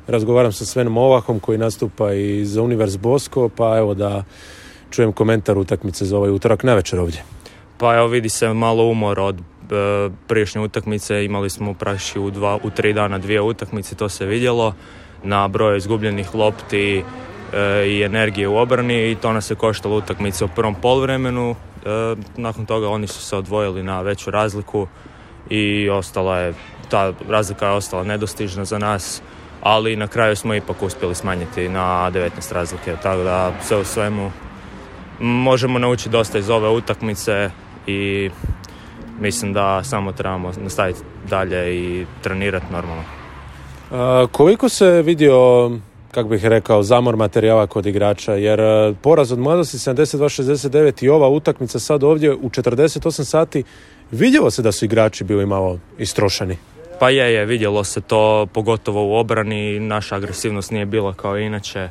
Razgovaram sa Svenom Ovahom koji nastupa i za Univers Bosko, pa evo da čujem komentar utakmice za ovaj utorak navečer ovdje. Pa evo, vidi se malo umor od prijašnje utakmice. Imali smo praktički u 3 dana 2 utakmice, to se vidjelo na broju izgubljenih lopti i energije u obrani i to nas je koštalo utakmice u prvom poluvremenu. Nakon toga oni su se odvojili na veću razliku i ta razlika je ostala nedostižna za nas, ali na kraju smo ipak uspjeli smanjiti na 19 razlike, tako da sve u svemu možemo naučiti dosta iz ove utakmice i mislim da samo trebamo nastaviti dalje i trenirati normalno. Koliko se vidio, kako bih rekao, zamor materijala kod igrača, jer poraz od Mladosti 72-69 i ova utakmica sad ovdje u 48 sati, vidjelo se da su igrači bili malo istrošeni. Pa je, vidjelo se to, pogotovo u obrani, naša agresivnost nije bila kao inače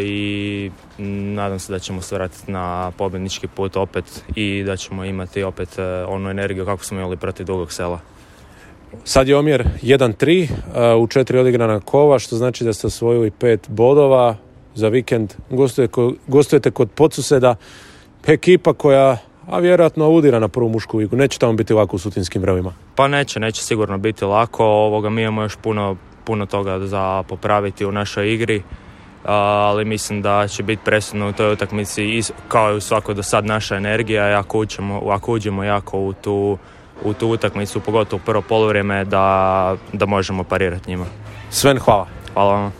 i nadam se da ćemo se vratiti na pobjednički put opet i da ćemo imati opet onu energiju kako smo imali protiv Dugog Sela. Sad je omjer 1-3 u 4 odigrana kola, što znači da ste osvojili 5 bodova za vikend. Gostujete kod Podsuseda, ekipa koja vjerojatno audira na prvu mušku ligu. Neće tamo biti lako u sutinskim vremima. Pa neće sigurno biti lako. Mi imamo još puno toga za popraviti u našoj igri, ali mislim da će biti presudno u toj utakmici kao i u svakoj do sad naša energija. Ako uđemo jako u tu utakmicu, pogotovo u prvo poluvrijeme, da možemo parirati njima. Sven, hvala. Hvala vam.